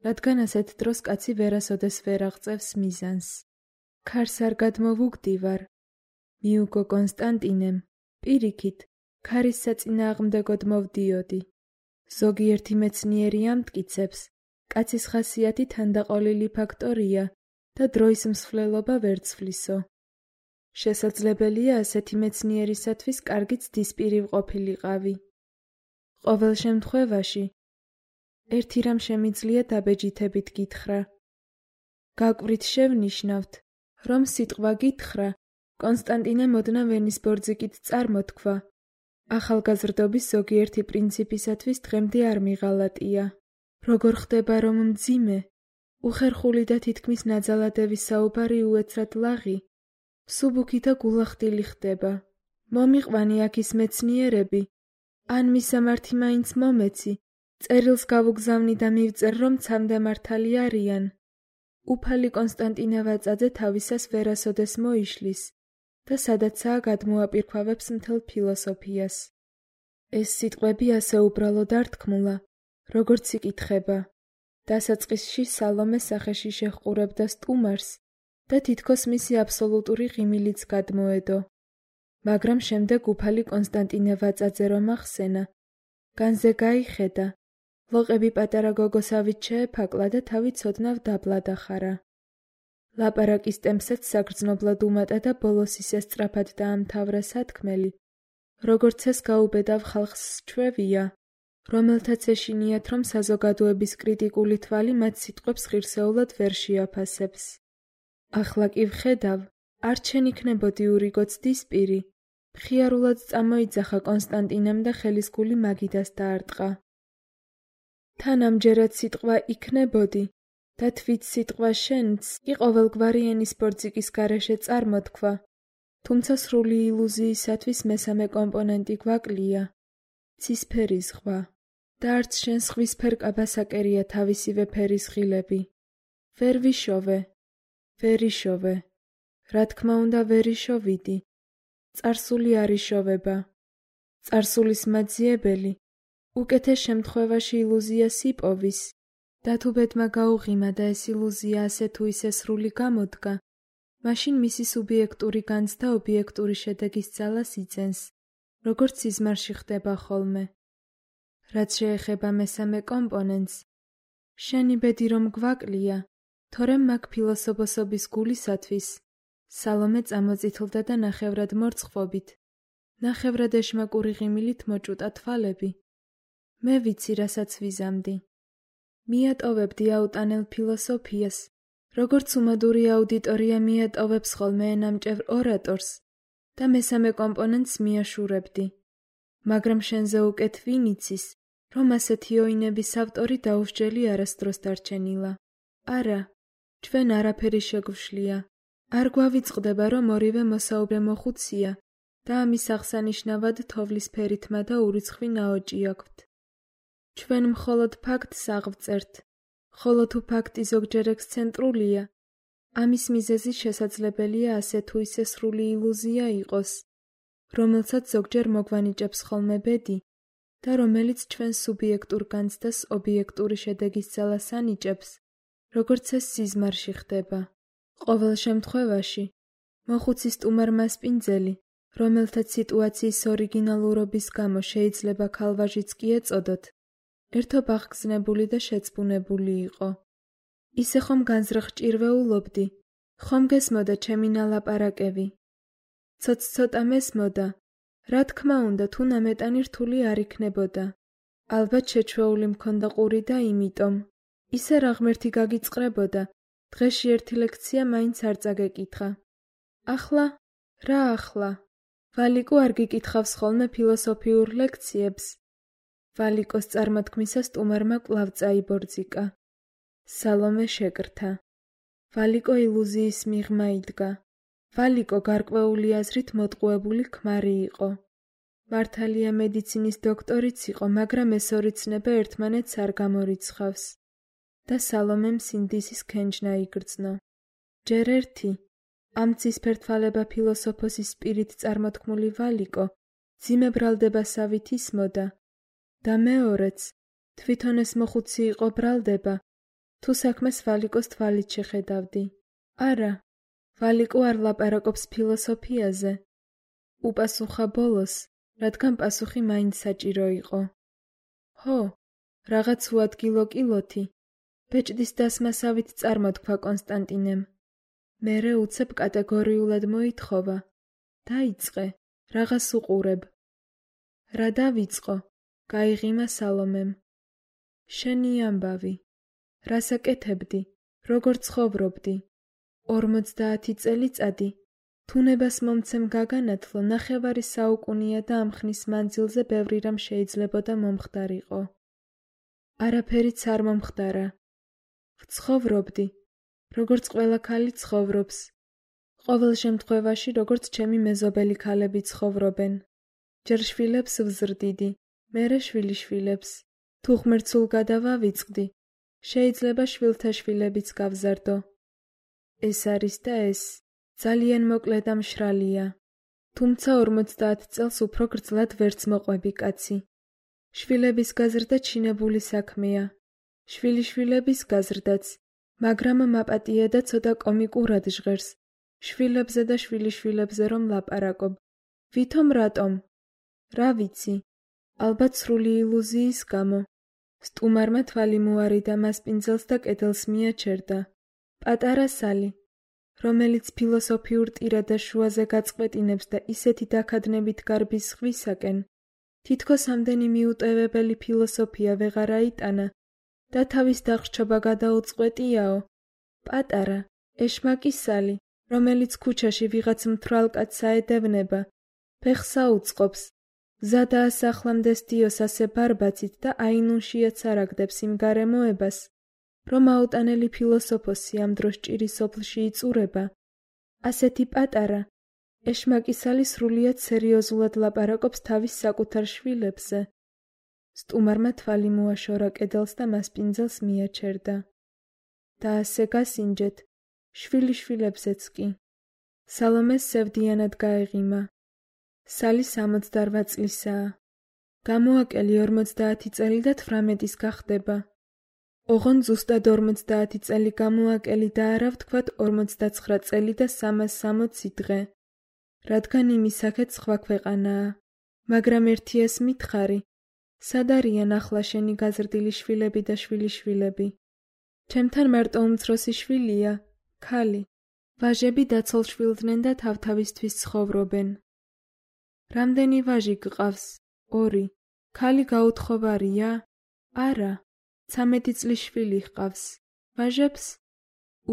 რადგან ასეთ დროს კაცი ვერასოდეს ვერ აღწევს მიზანს. ქარს არ გადმოვუგდივარ. მიუგო კონსტანტინემ, პირიქით, ქარის საწინააღმდეგოდ მოვდიოდი. ზოგიერთი მეცნიერი ამტკიცებს, კაცის ხასიათი თანდაყოლილი ფაქტორია და დროის მსვლელობა ვერ ცვლისო. შესაძლებელია ასეთი მეცნიერისათვის კარგი ცდის პირი ყოფილიყავი. ყოველ შემთხვევაში, ერთი რამ შემიძლია დაბეჯითებით გითხრა. გაკვრით შევნიშნავთ, რომ სიტყვა გითხრა კონსტანტინემ ოდნავ ენის ბორძიგით წარმოთქვა. ახალგაზრდობის ზოგიერთი პრინციპისათვის დღემდე არ მიღალატია. როგორ ხდება, რომ მძიმე, უხერხული და თითქმის ნაძალადების საუბარი უეცრად ლაღი, მსუბუქი და გულახდილი ხდება. მომიყვანი აქ ის მეცნიერები, ან მისამართი მაინც მომეცი, წერილს გავუგზავნი და მივწერ, რომ ცამდე მართალი არიან. უფალი კონსტანტინე ვაწაძე თავისას ვერასოდეს მოიშლის და სადაცაა გადმოაპირქვავებს მთელ ფილოსოფიას. ეს სიტყვები ასე უბრალოდ არ თქმულა, როგორც იკითხება. დასაწყისში სალომე სახეში შეჰყურებდა სტუმარს და თითქოს მისი აბსოლუტური ღიმილიც გადმოედო. მაგრამ შემდეგ უფალი კონსტანტინე ვაწაძე რომ ახსენა, განზე გაიხედა, ლოყები პატარა გოგოსავით შეეფაკლა და თავი ცოდნავ დაბლა დახარა. ლაპარაკის ტემპსაც საგრძნობლად უმატა და ბოლოს ისე სწრაფად დაამთავრა სათქმელი, როგორც ეს გაუბედავ ხალხს სჩვევია, რომელთაც ეშინიათ, რომ საზოგადოების კრიტიკული თვალი მათ სიტყვებს ღირსეულად ვერ შეაფასებს. ახლა კი ვხედავ, არ ჩენ იქნებოდი ურიგო ცდის პირი, მხიარულად წამოიძახა კონსტანტინემ და ხელისგული მაგიდას დაარტყა. თან ამჯერად სიტყვა იქნებოდი და თვით სიტყვა შენც კი ყოველგვარი ენის ბორძიგის გარეშე წარმოთქვა, თუმცა სრული ილუზიისათვის მესამე კომპონენტი გვაკლია, ცისფერი ზღვა და არც შენ სხვისფერ კაბასაკერია თავისივე ფერის ღილები. ვერ ვიშოვე, ვერ იშოვე, რა თქმა უნდა ვერ იშოვიდი. წარსული არ იშოვება. წარსულის მაძიებელი უკეთეს შემთხვევაში ილუზიას იპოვის, და თუ ბედმა გაუღიმა და ეს ილუზია ასე თუ ისე სრული გამოდგა, მაშინ მისი სუბიექტური განცდა ობიექტური შედეგის ძალას იძენს, როგორც სიზმარში ხდება ხოლმე. რაც შეეხება მესამე კომპონენტს, შენი ბედი რომ გვაკლია, თორემ მაგ ფილოსოფოსობის გულისათვის, სალომე წამოწითლდა და ნახევრად მორწყვობით, ნახევრად ეშმაკური ღიმილით მოჭუტა თვალები. მე ვიცი, რასაც ვიზამდი. მიატოვებდი აუტანელ ფილოსოფიას, როგორც უმადური აუდიტორია მიატოვებს ხოლმე ენამჭევრ ორატორს და მესამე კომპონენტს მიაშურებდი. მაგრამ შენზე უკეთ ვინ იცის, რომ ასეთი ოინების ავტორი დაუსჯელი არასდროს დარჩენილა. არა, ჩვენ არაფერი შეგვშლია. არ გვავიწყდება, რომ ორივე მოსაუბრე მოხუცია და ამის აღსანიშნავად თოვლის ფერითმა და ურიცხვი ნაოჭი აქვთ. ჩვენ მხოლოდ ფაქტს აღვწერთ, ხოლო თუ ფაქტი ზოგჯერ ექსცენტრულია, ამის მიზეზი შესაძლებელია ასე თუ ისე სრული ილუზია იყოს, რომელსაც ზოგჯერ მოგვანიჭებს ხოლმე ბედი და რომელიც ჩვენს სუბიექტურ განცდას ობიექტური შედეგის ძალას ანიჭებს, როგორც ეს სიზმარში ხდება. ყოველ შემთხვევაში, მოხუცის სტუმარ მასპინძელი, რომელთაც სიტუაციის ორიგინალურობის გამო შეიძლება ქალვაჟიც კი ეწოდოთ, ერთობ აღგზნებული და შეწბუნებული იყო. ისე ხომ განზრახჭირვეულობდი, ხომ გესმოდა ჩემი ნალაპარაკები. ცოც-ცოტა მესმოდა, რა თქმა უნდა, თუ ნამეტანი რთული არ იქნებოდა. ალბათ შეჩვეული მქონდა ყური და იმიტომ, ისე რა ღმერთი გაგიწყრებოდა, დღეში ერთი ლექცია მაინც არ წაგეკითხა. ახლა? რა ახლა? ვალიკო არ გიკითხავს ხოლმე ფილოსოფიურ ლექციებს? ვალიკოს წარმოთქმისას სტუმარმა კვლავ წაიბორძიკა. სალომე შეკრთა. ვალიკო ილუზიის მიღმა იდგა. ვალიკო გარკვეული აზრით მოტყუებული ქმარი იყო. მართალია მედიცინის დოქტორიც იყო, მაგრამ ეს ორი ცნება ერთმანეთს არ გამორიცხავს. და სალომემ სინდისის ქენჯნა იგრძნო. ჯერ ერთი, ამ ცისფერთვალება ფილოსოფოსის სპირით წარმოთქმული ვალიკო, ძიმე ბრალდებასავით ისმოდა. და მეორეც, თვითონ ეს მოხუცი იყო ბრალდება, თუ საქმეს ვალიკოს თვალით შეხედავდი. არა, ვალიკო არ ლაპარაკობს ფილოსოფიაზე. უპასუხა ბოლოს, რადგან პასუხი მაინც საჭირო იყო. ჰო, რაღაც უადგილო კილოთი. ბეჭდის დასმასავით წარმოთქვა კონსტანტინემ. მერე უცებ კატეგორიულად მოითხოვა. დაიწყე, რაღაც უყურებ. რა დავიწყო? გაიღიმა სალომემ. შენი ამბავი. რას აკეთებდი? როგორ ცხოვრობდი? ორმოცდაათი წელიწადი. თუნებას მომცემ გაგანათლო, ნახევარი საუკუნია და ამ ხნის მანძილზე ბევრი რამ შეიძლებოდა მომხდარიყო. არაფერიც არ მომხდარა. ვცხოვრობდი, როგორც ყველა ქალი ცხოვრობს. ყოველ შემთხვევაში, როგორც ჩემი მეზობელი ქალები ცხოვრობენ. ჯერ შვილებს ვზრდიდი, მერე შვილიშვილებს. თუ ღმერთსულ გადავავიწყდი, შეიძლება შვილთა შვილებიც გავზარდო. ეს არის და ეს, ძალიან მოკლე და მშრალია. თუმცა ორმოცდაათ წელს უფრო გრძლად ვერც მოყვები კაცი. შვილების გაზრდა ჩინებული საქმეა. შვილიშვილების გაზრდაც, მაგრამ მაპატია და ცოტა კომიკურად ჟღერს. შვილებზე და შვილიშვილებზე რომ ლაპარაკობ. ვითომ რატომ? რა ვიცი, ალბათ სრული ილუზიის გამო. სტუმარმა თვალი მოარიდა მასპინძელს და კედელს მიაჩერდა. პატარა სალი, რომელიც ფილოსოფიურ ტირადას შუაზე გაწყვეტინებს და ისეთი დაქადნებით გარბის ზღვისაკენ, თითქოს ამდენი მიუტევებელი ფილოსოფია ვეღარ აიტანა და თავის დახრჩობა გადაუწყვეტიაო. პატარა, ეშმაკი სალი, რომელიც ქუჩაში ვიღაც მთვრალ კაცს აედევნება, ფეხს აუწყობს, გზა დაასახლამდეს დიოს ასე ბარბაცით და აინუნშიაც არ აგდებს იმ გარემოებას, რომ აუტანელი ფილოსოფოსი ამ დროს ჭირის სოფლში იწურება. ასეთი პატარა, ეშმაკი სალი სრულიად სერიოზულად ლაპარაკობს თავის საკუთარ შვილებზე. სტუმარმა თვალი მოაშორა კედელს და მასპინძელს მიაჩერდა. და ასე გასინჯეთ, შვილიშვილებზეც კი. სალომეს სევდიანად გაეღიმა. სალი სამოცდარვა წლისაა. გამოაკელი ორმოცდაათი წელი და თვრამეტის გახდება. ოღონდ ზუსტად ორმოცდაათი წელი გამოაკელი და არა ვთქვათ ორმოცდაცხრა წელი და სამას სამოცი დღე. რადგან იმისაკეთ სხვა ქვეყანაა. მაგრამ ერთიას მითხარი, სად არიან ახლა შენი გაზრდილი შვილები და შვილიშვილები? ჩემთან მარტო უმცროსი შვილია, ქალი. ვაჟები დაცულ შვილდნენ და თავთავისთვის ცხოვრობენ. რამდენი ვაჟი გყავს? ორი. ქალი გაუთხოვარია? არა. ცამეტი წლის შვილი ჰყავს. ვაჟებს?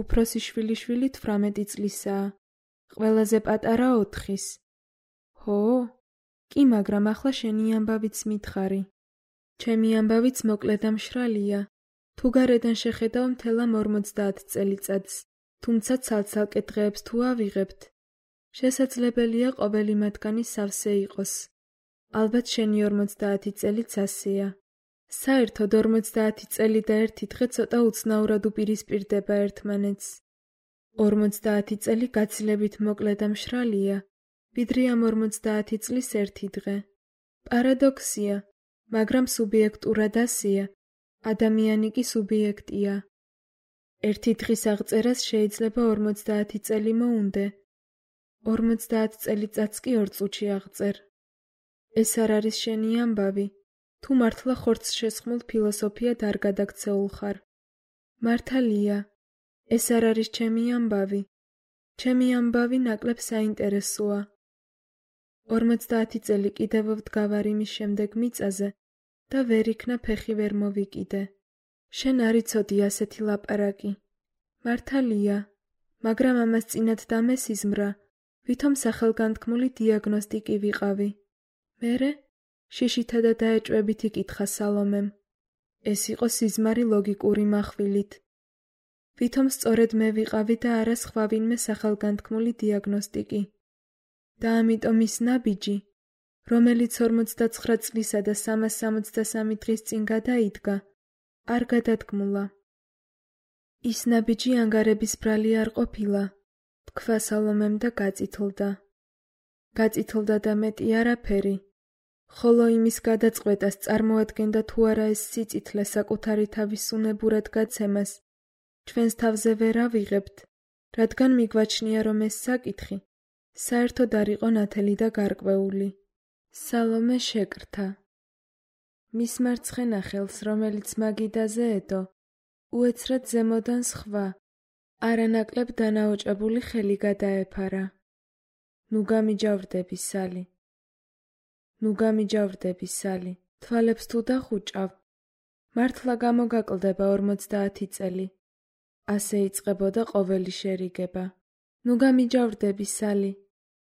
უფროსი შვილიშვილი თვრამეტი წლისაა. ყველაზე პატარა ოთხის. ჰო? კი, მაგრამ ახლა შენი ამბავიც მითხარი. ჩემი ამბავიც მოკლე და მშრალია. თუ გარედან შეხედავ მთელ ამ ორმოცდაათ წელიწადს, თუმცა ცალ-ცალკე დღეებს თუ ავიღებთ, შესაძლებელია ყოველი მათგანი სავსე იყოს. ალბათ შენი ორმოცდაათი წელიც ასეა. საერთოდ ორმოცდაათი წელი და ერთი დღე ცოტა უცნაურად უპირისპირდება ერთმანეთს. ორმოცდაათი წელი გაცილებით მოკლე და მშრალია, ვიდრე ამ ორმოცდაათი წლის ერთი დღე. პარადოქსია, მაგრამ სუბიექტურად ასეა. ადამიანი კი სუბიექტია. ერთი დღის აღწერას შეიძლება ორმოცდაათი წელი მოუნდე. ორმოცდაათ წელიწადს კი ორ წუთში აღწერ. ეს არ არის შენი ამბავი. თუ მართლა ხორცს შესხმულ ფილოსოფიად არ გადაქცეულ ხარ. მართალია, ეს არ არის ჩემი ამბავი. ჩემი ამბავი ნაკლებ საინტერესოა. ორმოცდაათი წელი კიდევ ვდგავარ იმის შემდეგ მიწაზე და ვერ იქნა ფეხი ვერ მოვიკიდე. შენ არ იცოდი ასეთი ლაპარაკი. მართალია, მაგრამ ამას წინათ დამესიზმრა, ვითომ სახელგანთქმული დიაგნოსტიკი ვიყავი. მერე? შიშითა და დაეჭვებით იკითხა სალომემ. ეს იყო სიზმარი ლოგიკური מחვილით. ვითომ სწორედ მე ვიყავი და არა სხვა ვინმე სახელგანთქმული დიაგნოსტიკი. და ამიტომ ის ნაბიჯი, რომელიც ორმოცდაცხრა წლისა და სამას სამოცდასამი დღის წინ გადაიდგა, არ გადადგმულა. ის ნაბიჯი ანგარების ბრალი არ ყოფილა, თქვა სალომემ და გაწითლდა. გაწითლდა და მეტი არაფერი. ხოლო იმის გადაწყვეტას წარმოადგენდა თუ არა ეს სიწითლე საკუთარი თავის უნებურად გაცემას, ჩვენს თავზე ვერ ავიღებთ, რადგან მიგვაჩნია რომ ეს საკითხი საერთოდ არ იყო ნათელი და გარკვეული. სალომე შეკრთა. მის მარცხენა ხელს, რომელიც მაგიდაზე ედო, უეცრად ზემოდან სხვა, არანაკლებ დანაოჭებული ხელი გადაეფარა. ნუ გამიჯავრდები, სალი. ნუ გამიჯავრდები, სალი. თვალებს თუ დახუჭავ, მართლა გამოგაკლდება ორმოცდაათი წელი. ასე იწყებოდა ყოველი შერიგება. ნუ გამიჯავრდები, სალი.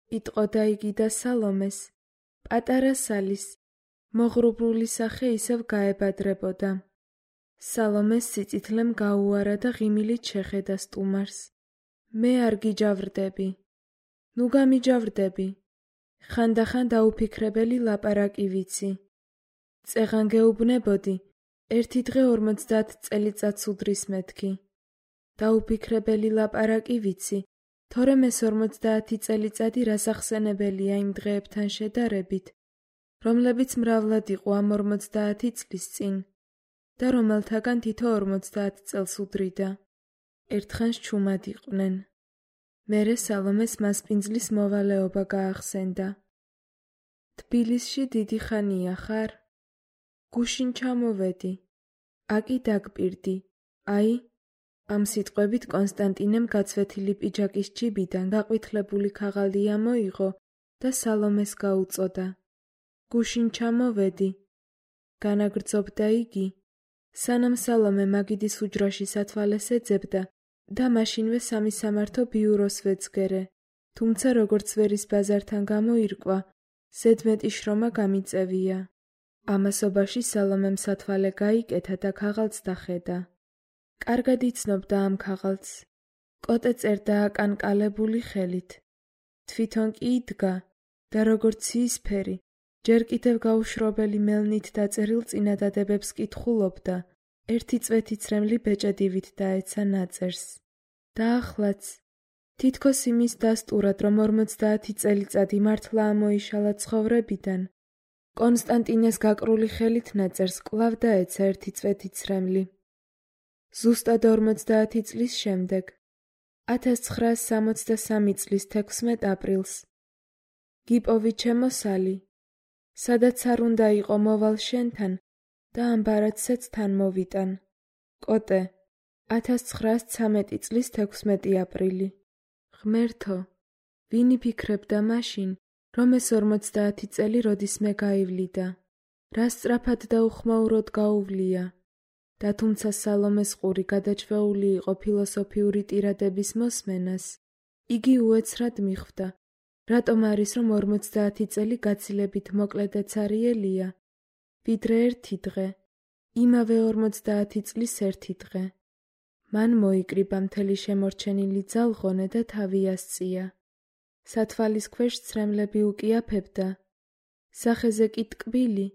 იტყოდა იგი და სალომეს, პატარა სალის, მოღრუბლული სახე ისევ გაებადრებოდა. სალომეს სიწითლემ გაუარა და ღიმილით შეხედა სტუმარს. მე არ გიჯავრდები. ნუ გამიჯავრდები. ხანდახან დაუფიქრებელი ლაპარაკი ვიცი. წეღან გეუბნებოდი, ერთი დღე ორმოცდაათ წელიწადს უდრის მეთქი. დაუფიქრებელი ლაპარაკი ვიცი, თორემ ეს ორმოცდაათი წელიწადი რასახსენებელია იმ დღეებთან შედარებით, რომლებიც მრავლად იყო ამ ორმოცდაათი წლის წინ და რომელთაგან თითო ორმოცდაათ წელს უდრიდა. ერთხანს ჩუმად იყვნენ. მერე სალომეს მასპინძლის მოვალეობა გაახსენდა. თბილისში დიდი ხანია ხარ? გუშინ ჩამოვედი. აკი დაგპირდი. აი, ამ სიტყვებით კონსტანტინემ გაცვეთილი პიჯაკის ჯიბიდან გაყვითლებული ქაღალდი ამოიღო და სალომეს გაუწოდა. გუშინ ჩამოვედი. განაგრძობდა იგი, სანამ სალომე მაგიდის უჯრაში სათვალეს ეძებდა და მაშინვე სამი სამართო ბიუროს ვეძგერე, თუმცა როგორც ვერის ბაზართან გამოირკვა, ზედმეტი შრომა გამიწევია. ამასობაში სალომემ სათვალე გაიკეთა და ქაღალდს დახედა. კარგად იცნობდა ამ ქაღალდს. კოტე წერდა აკანკალებული ხელით. თვითონ კი იდგა და როგორც იისფერი, ჯერ კიდევ გაუშრობელი მელნით დაწერილ წინადადებებს კითხულობდა, ერთი წვეთიცრემლი ბეჭედივით დაეცა ნაწერს. და ახლაც, თითქოს იმის დასტურად, რომ ორმოცდაათი წელიწადი მართლა ამოიშალა ცხოვრებიდან, კონსტანტინეს გაკრული ხელით ნაწერს კვლავ დაეცა ერთი წვეთიცრემლი. ზუსტად ორმოცდაათი წლის შემდეგ, ათას ცხრაას სამოცდასამი წლის თექვსმეტ აპრილს. გიპოვი ჩემო სალი, სადაც არ უნდა იყო მოვალ შენთან და ამ ბარათსაც თან მოვიტან. კოტე, ათას ცხრაას ცამეტი წლის თექვსმეტი აპრილი. ღმერთო, ვინ იფიქრებდა მაშინ, რომ ეს ორმოცდაათი წელი როდისმე გაივლიდა, რა სწრაფად და უხმაუროდ გაუვლია და თუმცა სალომეს ყური გადაჭვეული იყო ფილოსოფიური ტირადების მოსმენას, იგი უეცრად მიხვდა, რატომ არის რომ ორმოცდაათი წელი გაცილებით მოკლე და ცარიელია, ვიდრე ერთი დღე, იმავე ორმოცდაათი წლის ერთი დღე. მან მოიკრიბა მთელი შემორჩენილი ძალღონე და თავი ასწია. სათვალის ქვეშ ცრემლები უკიაფებდა, სახეზე კი ტკბილი,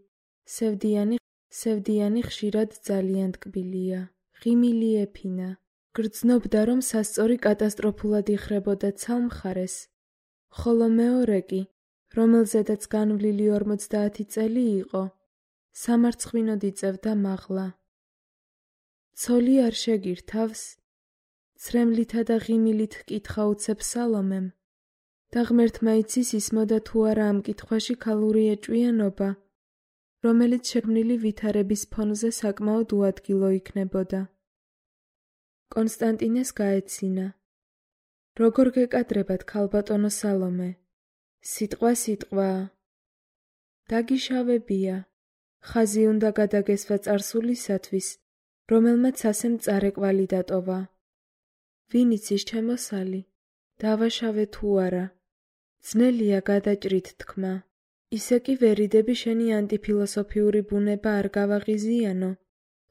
სევდიანი, სევდიანი ხშირად ძალიან ტკბილია, ღიმილი ეფინა. გრძნობდა, რომ სასწორი კატასტროფულად იხრებოდა ცალმხარეს, ხოლო მეორე კი, რომელზედაც განვლილი ორმოცდაათი წელი იყო, სამარცხვინოდ იწევდა მაღლა. ცოლი არ შეგირთავს? ცრემლითა და ღიმილით კითხა უცებ სალომემ. და ღმერთმა იცის ისმოდა თუ არა ამ კითხვაში ქალური ეჭვიანობა, რომელიც შექმნილი ვითარების ფონზე საკმაოდ უადგილო იქნებოდა. კონსტანტინეს გაეცინა. როგორ გეკადრებათ ქალბატონო სალომე? სიტყვა სიტყვაა. დაგიშავებია. ხაზი უნდა გადაგესვა წარსულისათვის, რომელმაც ასე მწარე კვალი დატოვა. ვინ იცის ჩემო სალი? დავაშავე თუ არა? ძნელია გადაჭრით თქმა. ისე კი ვერიდები შენი ანტიფილოსოფიური ბუნება არ გავაღიზიანო,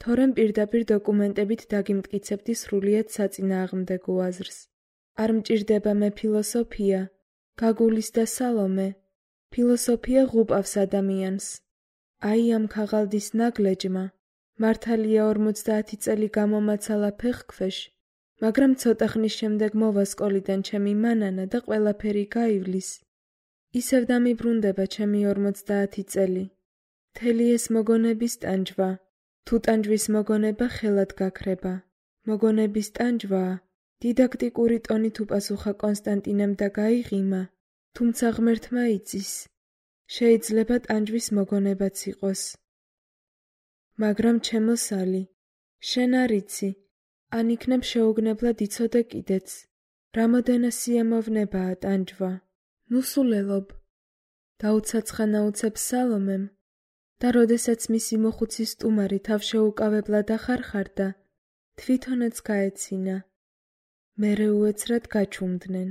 თორემ პირდაპირ დოკუმენტებით დაგიმტკიცებდი სრულიად საწინააღმდეგო აზრს. არ მჭირდება მე ფილოსოფია, გაგულისდა სალომე. ფილოსოფია ღუპავს ადამიანს. აი ამ ქაღალდის ნაგლეჯმა, მართალია ორმოცდაათი წელი გამომაცალა ფეხქვეშ, მაგრამ ცოტა ხნის შემდეგ მოვა სკოლიდან ჩემი მანანა და ყველაფერი გაივლის. ისევ დამიბრუნდება ჩემი ორმოცდაათი წელი. მთელი ეს მოგონების ტანჯვა, თუ ტანჯვის მოგონება ხელად გაქრება. მოგონების ტანჯვაა, დიდაქტიკური ტონით უპასუხა კონსტანტინემ და გაიღიმა, თუმცა ღმერთმა იცის. შეიძლება ტანჯვის მოგონებაც იყოს. მაგრამ ჩემო სალი, შენ არ იცი, ან იქნებ შეუგნებლად იცოდე კიდეც, რამოდენა სიამოვნებაა ტანჯვა. ნუ სულელობ, დაუცაცხანა უცებ სალომემ, და როდესაც მისი მოხუცი სტუმარი თავშეუკავებლად ახარხარდა, თვითონაც გაეცინა. მერე უეცრად გაჩუმდნენ.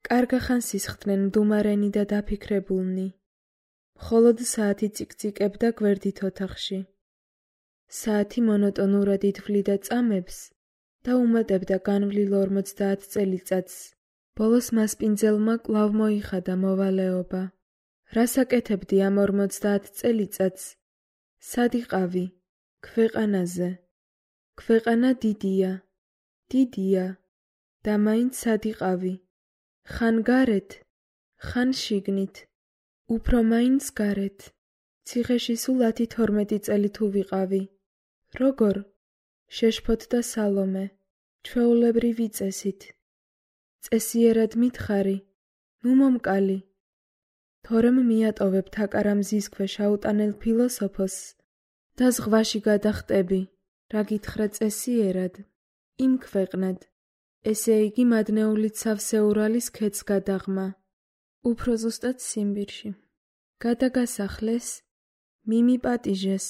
კარგა ხანს ისხდნენ მდუმარენი და დაფიქრებულნი. მხოლოდ საათი წიკწიკებდა გვერდით ოთახში. საათი მონოტონურად ითვლიდა წამებს და უმატებდა განვლილ ორმოცდაათ წელიწადს. ბოლოს მასპინძელმა კვლავ მოიხადა მოვალეობა. რას აკეთებდი ამ ორმოცდაათ წელიწადს? სად იყავი? ქვეყანაზე. ქვეყანა დიდია. დიდია. და მაინც სად იყავი? ხან გარეთ, ხან შიგნით. უფრო მაინც გარეთ. ციხეში სულ ათი თორმეტი წელი თუ ვიყავი. როგორ? შეშფოთდა სალომე, ჩვეულებრივი წესით. წესიერად მითხარი, ნუ მომკალი. თორემ მიატოვებ თაკარა მზის ქვეშ აუტანელ ფილოსოფოსს და ზღვაში გადახტები, რა გითხრა წესიერად, იმ ქვეყნად, ესე იგი მადნეულით სავსე ურალის ქედს გადაღმა. უფრო ზუსტად სიმბირში. გადაგასახლეს, მიმიპატიჟეს,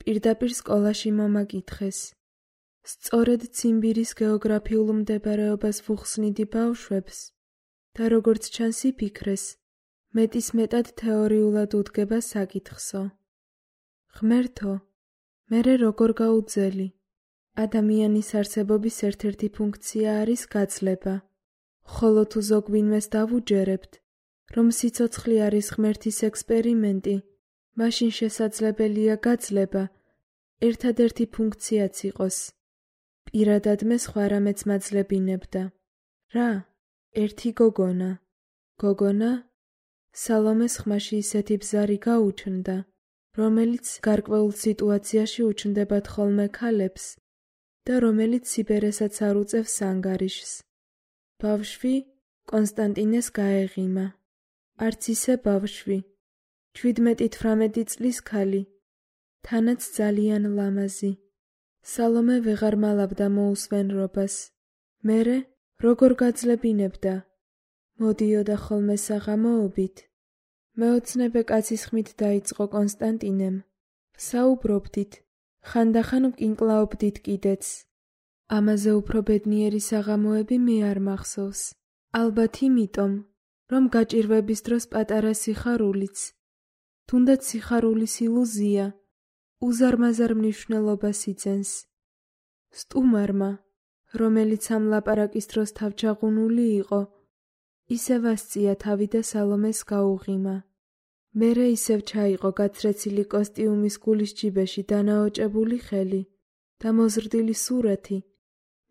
პირდაპირ სკოლაში მომაკითხეს. სწორედ ციმბირის გეოგრაფიულ მდებარეობას ვუხსნიდი ბავშვებს და როგორც ჩანს იფიქრეს, მეტის მეტად თეორიულად უდგება საკითხსო. ღმერთო, მერე როგორ გაუძელი? ადამიანის არსებობის ერთ-ერთი ფუნქცია არის გაძლება, ხოლო თუ ზოგვინმეს დავუჯერებთ, რომ სიცოცხლე არის ღმერთის ექსპერიმენტი, მაშინ შესაძლებელია გაძლება ერთადერთი ფუნქციაც იყოს. პირადად მე სხვა რამეც მაძლებინებდა. რა? ერთი გოგონა. გოგონა? სალომეს ხმაში ისეთი ბზარი გაუჩნდა, რომელიც გარკვეულ სიტუაციაში უჩნდებათ ხოლმე ქალებს და რომელიც სიბერესაც არ უწევს ანგარიშს. ბავშვი კონსტანტინეს გაეღიმა. არც ისე ბავშვი, ჩვიდმეტი-თვრამეტი წლის ქალი, თანაც ძალიან ლამაზი. სალომე ვეღარ მალავდა მოუსვენრობას. მერე როგორ გაძლებინებდა? მოდიოდა ხოლმე საღამოობით. მეოცნებე კაცის ხმით დაიწყო კონსტანტინემ. ვსაუბრობდით, ხანდახან ვკინკლაობდით კიდეც. ამაზე უფრო ბედნიერი საღამოები მე არ მახსოვს. ალბათ იმიტომ, რომ გაჭირვების დროს პატარა სიხარულიც, თუნდაც სიხარულის ილუზია, უზარმაზარ მნიშვნელობას იძენს. სტუმარმა, რომელიც ამ ლაპარაკის დროს თავჩაღუნული იყო, ისევ ასწია თავი და სალომეს გაუღიმა. მერე ისევ ჩაიყო გაცრეცილი კოსტიუმის გულის ჯიბეში დანაოჭებული ხელი და მოზრდილი სურათი.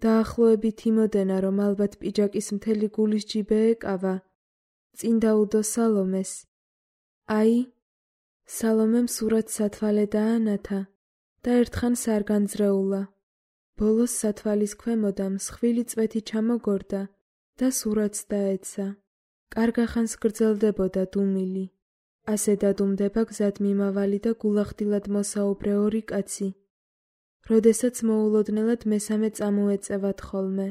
დაახლოებით იმოდენა, რომ ალბათ პიჯაკის მთელი გულის ჯიბე ეკავა. წინ დაუდო სალომეს. აი, სალომემ სურათს სათვალე დაანათა და ერთხანს არ განძრეულა. ბოლოს სათვალის ქვემოდან მსხვილი წვეთი ჩამოგორდა და სურათს დაეცა. კარგახანს გრძელდებოდა დუმილი. ასე დადუმდება გზად მიმავალი და გულახდილად მოსაუბრე ორი კაცი. როდესაც მოულოდნელად მესამე წამოეწევათ ხოლმე.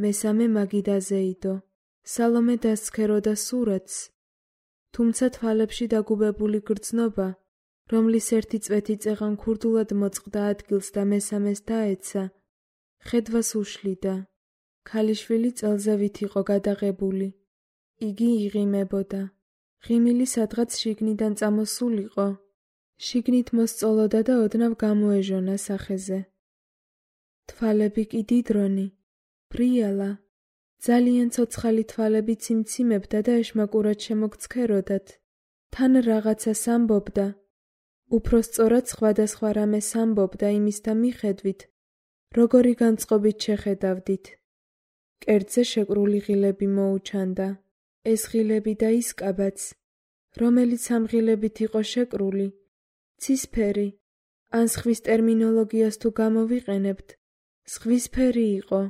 მესამე მაგიდაზე იდო. სალომე დასცქეროდა სურათს, თუმცა თვალებში დაგუბებული გრძნობა, რომლის ერთი წვეთი წეღან ქურდულად მოწყდა ადგილს და მესამეს დაეცა, ხედვას უშლიდა. ქალიშვილი წელზევით იყო გადაღებული. იგი იღიმებოდა. ღიმილი სადღაც შიგნიდან წამოსულიყო. შიგნით მოსწოლოდა და ოდნავ გამოეჟონა სახეზე. თვალები კი დიდრონი, ბრიალა, ძალიან ცოცხალი თვალები ციმციმებდა და ეშმაკურად შემოგცქეროდათ. თან რაღაცას ამბობდა. უფრო სწორად სხვადასხვა რამეს ამბობდა იმის და მიხედვით, როგორი განწყობით შეხედავდით. კერძზე შეკრული ღილები მოუჩანდა. ეს ღილები და ის კაბაც, რომელიც ამ ღილებით იყო შეკრული, ცისფერი, ან სხვის ტერმინოლოგიას თუ გამოვიყენებთ, სხვისფერი იყო.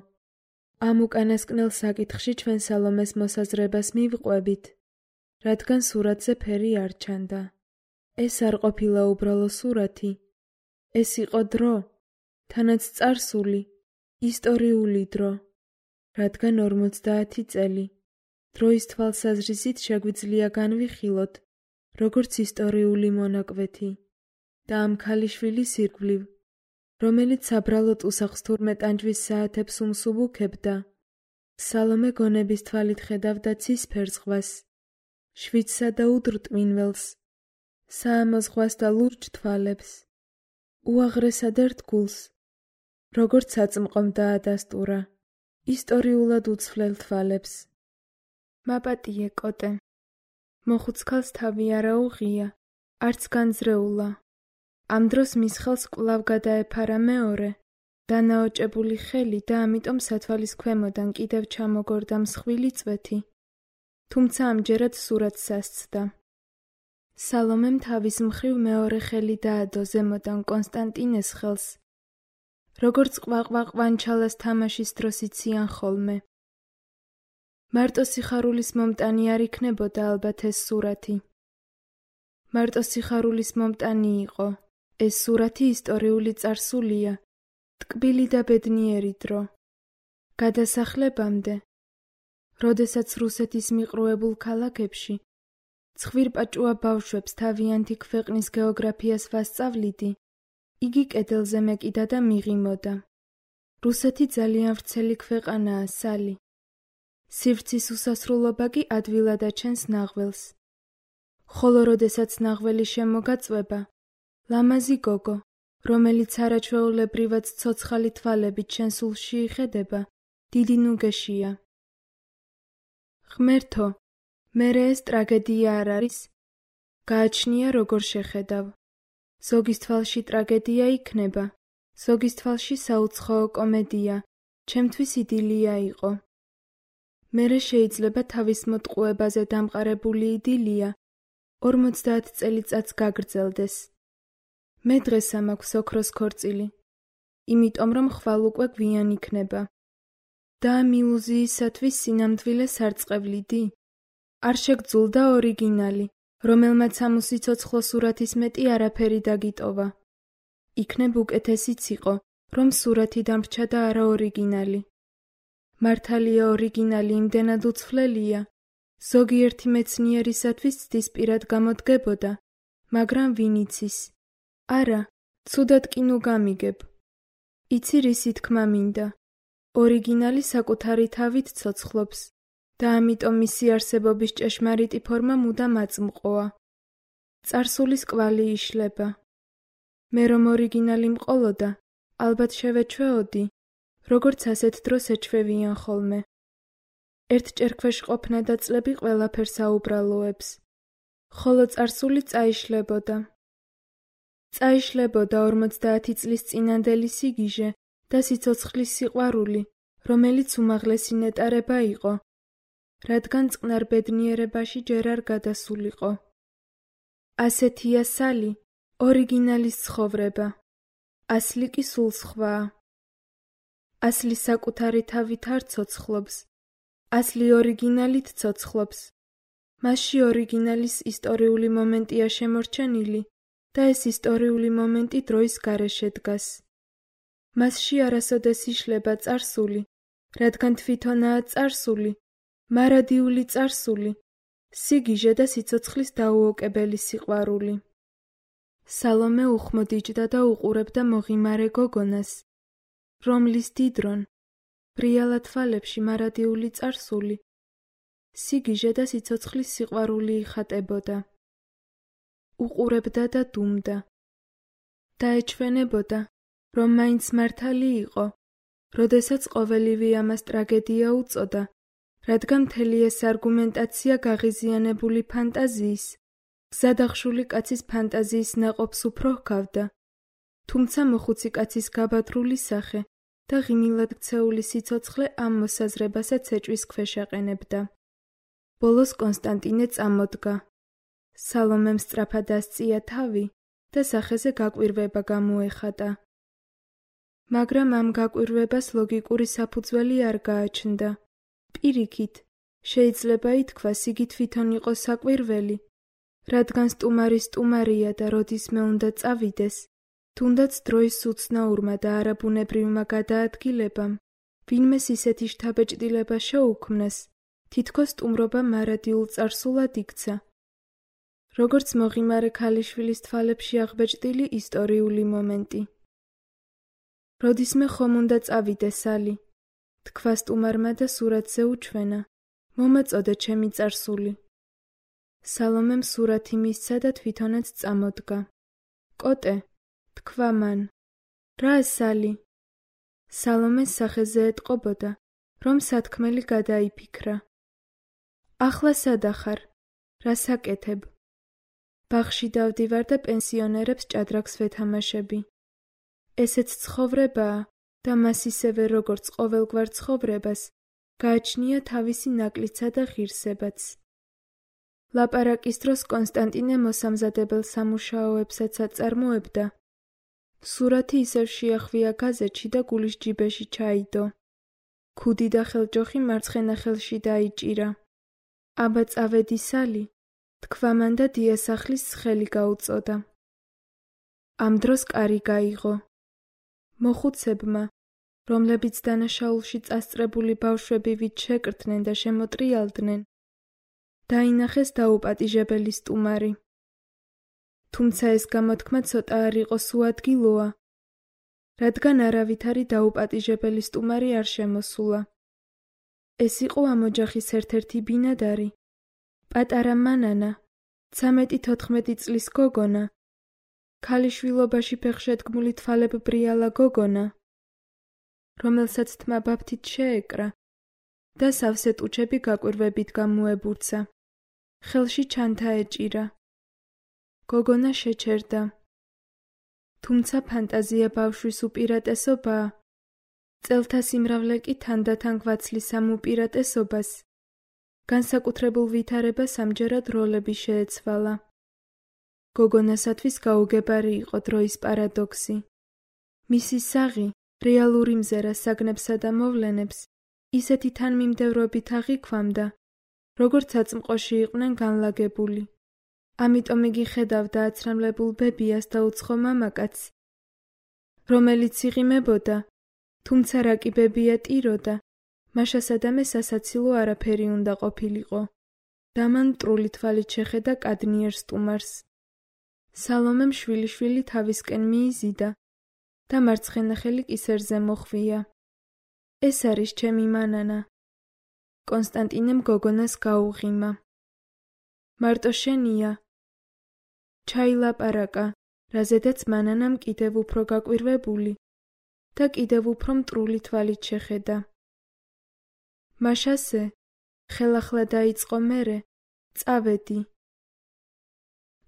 ამ უკანასკნელ საკითხში ჩვენ სალომეს მოსაზრებას მივყვებით, რადგან სურათზე ფერი არ ჩანდა. ეს არ ყოფილა უბრალო სურათი. ეს იყო დრო, თანაც წარსული, ისტორიული დრო, რადგან ორმოცდაათი წელი. დროის თვალსაზრისით შეგვიძლია განვიხილოთ, როგორც ისტორიული მონაკვეთი და ამ ქალიშვილის ირგვლივ, რომელიც საბრალოდ უსახს თურმე ტანჯვის საათებს უმსუბუქებდა. სალომე გონების თვალით ხედავდა ცისფერ ზღვას, შვიდსა და უდრტვინველს, საამო ზღვას და ლურჯ თვალებს, უაღრესად ერთგულს, როგორც აწმყომ დაადასტურა, ისტორიულად უცვლელ თვალებს. მაპატიე კოტე, მოხუცქალს თავი არა უღია, არც განძრეულა. ამ დროს მის ხელს კვლავ გადაეფარა მეორე, დანაოჭებული ხელი და ამიტომ სათვალის ქვემოდან კიდევ ჩამოგორდა მსხვილი წვეთი. თუმცა ამჯერად სურათს ასცდა. სალომემ თავის მხრივ მეორე ხელი დაადო ზემოდან კონსტანტინეს ხელს, როგორც ყვაყვაყვანჩალას თამაშის დროს იციან ხოლმე. მარტო სიხარულის მომტანი არ იქნებოდა ალბათ ეს სურათი. მარტო სიხარულის მომტანი იყო. ეს სურათი ისტორიული წარსულია, ტკბილი და ბედნიერი დრო. გადასახლებამდე, როდესაც რუსეთის მიყრუებულ ქალაქებში ცხვირპაჭუა ბავშვებს თავიანთი ქვეყნის გეოგრაფიას ვასწავლიდი, იგი კედელზე მეკიდა და მიღიმოდა. რუსეთი ძალიან ვრცელი ქვეყანაა, სალი. სივრცის უსასრულობა კი ადვილად აჩენს ნაღველს. ხოლო როდესაც ნაღველი შემოგაწვება, ლამაზი გოგო, რომელიც არაჩვეულებრივად ცოცხალი თვალებით შენსულში იხედება, დიდი ნუგეშია. ღმერთო, მერე ეს ტრაგედია არ არის? გააჩნია როგორ შეხედავ. ზოგის თვალში ტრაგედია იქნება, ზოგის თვალში საუცხოო კომედია, ჩემთვის იდილია იყო. მერე შეიძლება თავის მოტყუებაზე დამყარებული იდილია ორმოცდაათ წელიწადს გაგრძელდეს. მე დღესა მაქვს ოქროს ქორწილი. იმიტომ რომ ხვალ უკვე გვიან იქნება. და ამ ილუზიისათვის სინამდვილე სარწყევლიდი? არ შეგძულდა ორიგინალი, რომელმაც ამ უსიცოცხლო სურათის მეტი არაფერი დაგიტოვა. იქნებ უკეთესიც იყო, რომ სურათი დამრჩა და არა ორიგინალი. მართალია ორიგინალი იმდენად უცვლელია, ზოგიერთი მეცნიერისათვის ცდისპირად გამოდგებოდა, მაგრამ ვინ იცის? არა, ცუდად კი ნუ გამიგებ. იცი რისი თქმა მინდა? ორიგინალი საკუთარი თავით ცოცხლობს და ამიტომ მისი არსებობის ჭეშმარიტი ფორმა მუდამ აწმყოა. წარსულის კვალი იშლება. მე რომ ორიგინალი მყოლოდა, ალბათ შევეჩვეოდი, როგორც ასეთ დროს ეჩვევიან ხოლმე. ერთჯერ ქვეშ ყოფნა და წლები ყველაფერს აუბრალოებს. ხოლო წარსული წაიშლებოდა. წაიშლებოდა ორმოცდაათი წლის წინანდელი სიგიჟე და სიცოცხლის სიყვარული, რომელიც უმაღლესი ნეტარება იყო, რადგან წყნარ ბედნიერებაში ჯერ არ გადასულიყო. ასეთია სალი, ორიგინალის ცხოვრება. ასლი კი სულ სხვაა. ასლი საკუთარი თავით არ ცოცხლობს. ასლი ორიგინალით ცოცხლობს. მასში ორიგინალის ისტორიული მომენტია შემორჩენილი და ეს ისტორიული მომენტი დროის გარეშე დგას. მასში არასოდეს იშლება წარსული, რადგან თვითონაა წარსული, მარადიული წარსული, სიგიჟე და სიცოცხლის დაუოკებელი სიყვარული. სალომე უხმოდ-იჯდა და უყურებდა მოღიმარე გოგონას, რომლის დიდრონ, ბრიალა თვალებში მარადიული წარსული, სიგიჟე და სიცოცხლის სიყვარული იხატებოდა. უყურებდა და დუმდა. დაეჩვენებოდა, რომ მაინც მართალი იყო, როდესაც ყოველივე ამას ტრაგედია უწოდა, რადგან მთელი ეს არგუმენტაცია გაღიზიანებული ფანტაზიის, გზადახშული კაცის ფანტაზიის ნაყოფს უფრო ჰგავდა, თუმცა მოხუცი კაცის გაბადრული სახე და ღიმილად ქცეული სიცოცხლე ამ მოსაზრებასაც ეჭვის ქვეშ აყენებდა. ბოლოს კონსტანტინე წამოდგა. სალომემ სწრაფად ასწია თავი და სახეზე გაკვირვება გამოეხატა. მაგრამ ამ გაკვირვებას ლოგიკური საფუძველი არ გააჩნდა. პირიქით, შეიძლება ითქვას, იგი თვითონ იყო საკვირველი, რადგან სტუმარი სტუმარია და როდისმე უნდა წავიდეს, თუნდაც დროის უცნაურმა და არაბუნებრივმა გადაადგილებამ, ვინმეს ისეთი შთაბეჭდილება შეუქმნას, თითქოს სტუმრობა მარადიულ წარსულად იქცა. როგორც მოღიმარე ქალიშვილის თვალებში აღბეჭდილი ისტორიული მომენტი. როდისმე ხომ უნდა წავიდეს სალი, თქვა სტუმარმა და სურათზე უჩვენა, მომაწოდე ჩემი წარსული. სალომემ სურათი მისცა და თვითონაც წამოდგა. კოტე, თქვა მან, რა სალი? სალომეს სახეზე ეტყობოდა, რომ სათქმელი გადაიფიქრა. ახლა სადახარ, რას აკეთებ? ბაღში დავდივარ და პენსიონერებს ჭადრაკს ვეთამაშები. ესეც ცხოვრებაა და მას ისევე როგორც ყოველგვარ ცხოვრებას, გააჩნია თავისი ნაკლისა და ღირსებაც. ლაპარაკის დროს კონსტანტინე მოსამზადებელ სამუშაოებსაც აწარმოებდა. სურათი ისევ შეახვია გაზეთში და გულის ჯიბეში ჩაიდო. ქუდი და ხელჯოხი მარცხენა ხელში დაიჭირა. აბა წავედი სალი, თქვა მან და დიასახლის ხელი გაუწოდა. ამ დროს კარი გაიღო. მოხუცებმა, რომლებიც დანაშაულში წასწრებული ბავშვები ვით შეკრთნენ და შემოტრიალდნენ, დაინახეს დაუპატიჟებელი სტუმარი. თუმცა ეს გამოთქმა ცოტა არ იყო სუადგილოა, რადგან არავითარი დაუპატიჟებელი სტუმარი არ შემოსულა. ეს იყო ამ ოჯახის ერთ-ერთი ბინადარი, პატარა მანანა, ცამეტი-თოთხმეტი წლის გოგონა, ქალიშვილობაში ფეხშედგმული თვალებბრიალა გოგონა, რომელსაც თმა ბაფთით შეეკრა და სავსე ტუჩები გაკვირვებით გამოებურცა. ხელში ჩანთა ეჭირა. გოგონა შეჩერდა. თუმცა ფანტაზია ბავშვის უპირატესობაა. წელთა სიმრავლე კი თანდათან გვაცლის ამ უპირატესობას. განსაკუთრებულ ვითარებას ამჯერად როლები შეეცვალა. გოგონასათვის გაუგებარი იყო დროის პარადოქსი. მისი საღი რეალური მზერა საგნებსა და მოვლენებს ისეთი თანმიმდევრობით აღიქვამდა, როგორც აწმყოში იყვნენ განლაგებული. ამიტომ იგი ხედავდა აცრამლებულ ბებიას და უცხო მამაკაცს, რომელიც იღიმებოდა, თუმცა რა კი ბებია ტიროდა, მაშასა და მე სასაცილო არაფერი უნდა ყოფილიყო და მან მტრული თვალით შეხედა კადნიერ სტუმარს. სალომემ შვილიშვილი თავისკენ მიიზიდა და მარცხენა ხელი კისერზე მოხვია. ეს არის ჩემი მანანა. კონსტანტინემ გოგონას გაუღიმა. მარტო შენია. ჩაილაპარაკა, რაზედაც მანანამ კიდევ უფრო გაკვირვებული და კიდევ უფრო მტრული თვალით შეხედა. მაშასე, ხელახლა დაიწყო მერე, წავედი.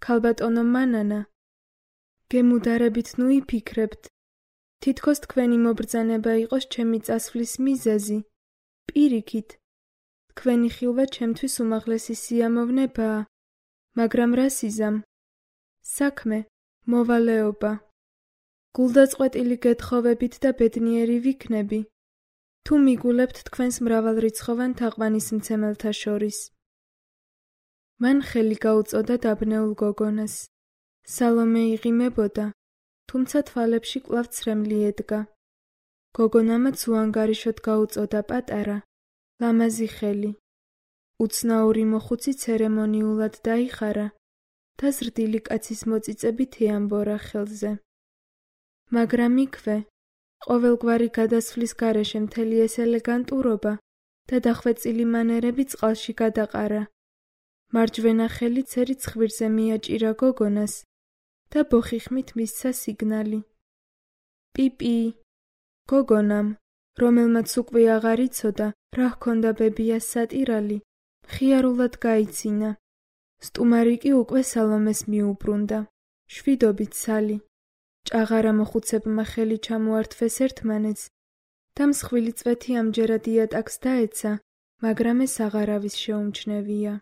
ქალბატონო მანანა, გემუდარებით ნუ იფიქრებთ, თითქოს თქვენი მობრძანება იყოს ჩემი წასვლის მიზეზი. პირიქით, თქვენი ხილვა ჩემთვის უმაღლესი სიამოვნებაა, მაგრამ რა სიზამ? საქმე, მოვალეობა. გულდაწყვეტილი გეთხოვებით და ბედნიერი ვიქნები, თუ მიგულებთ თქვენს მრავალრიცხოვან თაყვანისმცემელთა შორის. მან ხელი გაუწოდა დაბნეულ გოგონას. სალომე იღიმებოდა, თუმცა თვალებში კვლავ ცრემლი ედგა. გოგონამაც უანგარიშოდ გაუწოდა პატარა, ლამაზი ხელი. უცნაური მოხუცი ცერემონიულად დაიხარა და ზრდილი კაცის მოწიწებით ეამბორა ხელზე. მაგრამ იქვე, ყოველგვარი გადასვლის გარეშე მთელი ეს ელეგანტურობა და დახვეწილი მანერები წყალში გადაყარა. მარჯვენა ხელი ცერით ხვირზე მიაჭირა გოგონას და ბოხიხმით მისცა სიგნალი. პიპი. გოგონამ, რომელმაც უკვე აღარ იცოდა, რა ჰქონდა ბებიას სატირალი, მხიარულად გაიცინა. სტუმარი კი უკვე სალომეს მიუბრუნდა. შვიდობით სალი. ჭაღარა მოხუცებმა ხელი ჩამოართვეს ერთმანეთს და მსხვილი წვეთი ამჯერად იატაკს დაეცა, მაგრამ ეს აღარავის შეუმჩნევია.